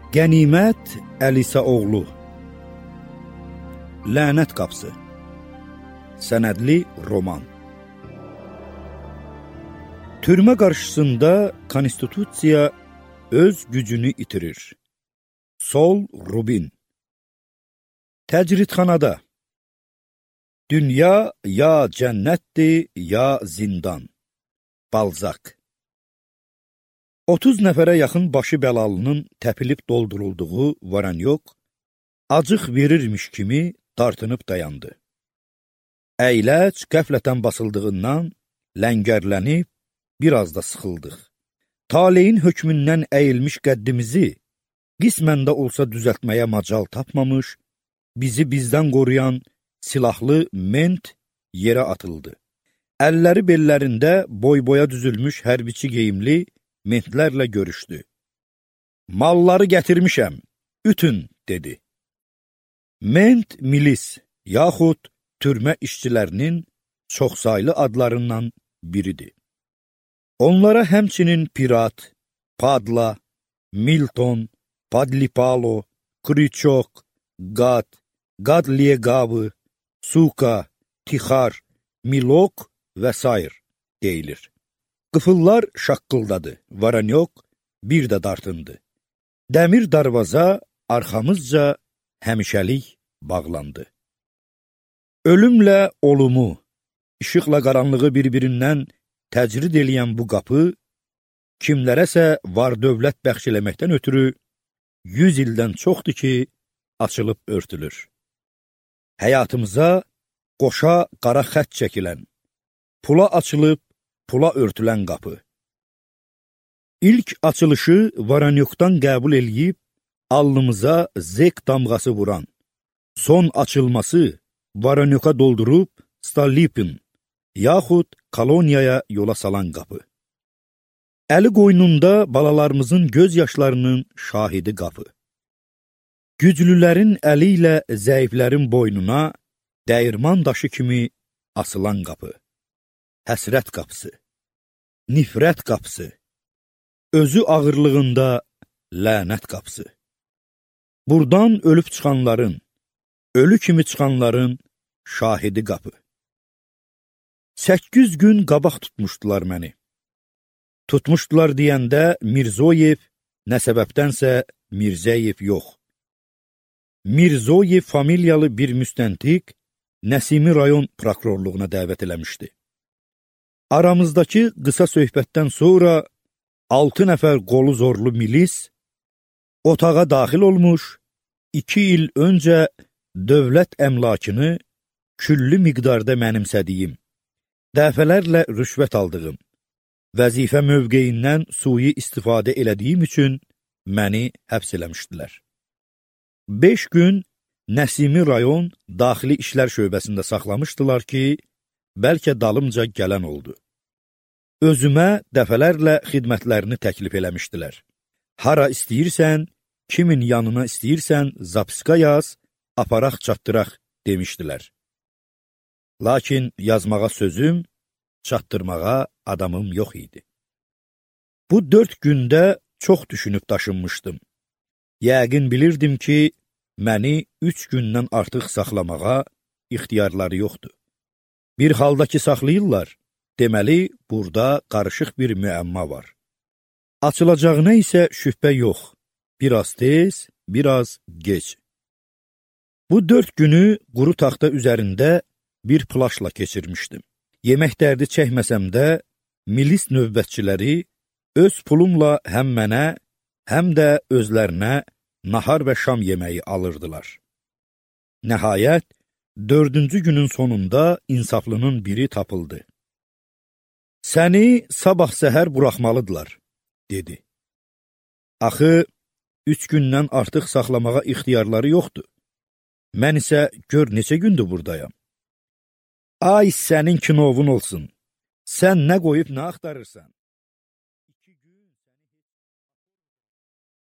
Qənimət Əlisə oğlu. Lənət qapısı. Sənədli roman. Türmə qarşısında konstitusiya öz gücünü itirir. Sol Rubin. Təcridxanada. Dünya ya cənnətdir, ya zindan. Balzak. 30 nəfərə yaxın başı bəlalının təpilib doldurulduğu Varanyok, acıq verirmiş kimi dartınıb dayandı. Əyləc qəflətən basıldığından ləngərlənib, biraz da sıxıldıq. Taleyin hökmündən əyilmiş qəddimizi, qismən də olsa düzəltməyə macal tapmamış, bizi bizdən qoruyan silahlı ment yerə atıldı. Əlləri bellərində boy-boya düzülmüş hərbiçi geyimli mentlərlə görüşdü. Malları gətirmişəm, ütün, dedi. Ment milis, yaxud türmə işçilərinin çoxsaylı adlarından biridir. Onlara həmçinin Pirat, Padla, Milton, Padlipalo, Kriçok, Qad, Qadliyeqavı, Suka, Tixar, Milok və s. deyilir. Qıfıllar şaqqıldadı, Varanyok bir də dartındı. Dəmir darvaza arxamızca həmişəlik bağlandı. Ölümlə olumu, işıqla qaranlığı bir-birindən təcrid eləyən bu qapı, kimlərəsə var dövlət bəxş eləməkdən ötürü 100 ildən çoxdur ki, açılıb örtülür. Həyatımıza qoşa qara xət çəkilən, pula açılıb, pula örtülən qapı. İlk açılışı Varanyokdan qəbul eləyib, alnımıza zek damğası vuran, son açılması Varanyoka doldurub Stalipin, yaxud koloniyaya yola salan qapı. Əli qoynunda balalarımızın göz yaşlarının şahidi qapı. Güclülərin əli ilə zəiflərin boynuna dəyirman daşı kimi asılan qapı. Həsrət qapısı, nifrət qapısı, özü ağırlığında lənət qapısı. Buradan ölüb çıxanların, ölü kimi çıxanların şahidi qapı. 8 gün qabaq tutmuşdular məni. Tutmuşdular deyəndə Mirzoyev, nə səbəbdənsə Mirzəyev yox. Mirzoyev familyalı bir müstəntiq Nəsimi rayon prokurorluğuna dəvət eləmişdi. Aramızdakı qısa söhbətdən sonra 6 nəfər qolu zorlu milis otağa daxil olmuş, 2 il öncə dövlət əmlakını küllü miqdarda mənimsədiyim, dəfələrlə rüşvət aldığım, vəzifə mövqeyindən sui istifadə elədiyim üçün məni həbs eləmişdilər. 5 gün Nəsimi rayon daxili işlər şöbəsində saxlamışdılar ki, bəlkə dalımca gələn oldu. Özümə dəfələrlə xidmətlərini təklif eləmişdilər. Hara istəyirsən, kimin yanına istəyirsən, zapiska yaz, aparaq çatdıraq, demişdilər. Lakin yazmağa sözüm, çatdırmağa adamım yox idi. Bu 4 gündə çox düşünüb daşınmışdım. Yəqin bilirdim ki, məni 3 gündən artıq saxlamağa ixtiyarları yoxdur. Bir halda ki saxlayırlar, deməli, burada qarışıq bir müəmma var. Açılacağına isə şübhə yox, biraz tez, biraz gec. Bu 4 günü quru taxta üzərində bir plaşla keçirmişdim. Yemək dərdi çəkməsəm də, milis növbətçiləri öz pulumla həm mənə, həm də özlərinə nahar və şam yeməyi alırdılar. Nəhayət, 4-cü günün sonunda insaflının biri tapıldı. Səni sabah səhər buraxmalıdırlar, dedi. Axı, 3 gündən artıq saxlamağa ixtiyarları yoxdur. Mən isə gör neçə gündür buradayam. Ay sənin kinovun olsun, sən nə qoyub nə axtarırsan?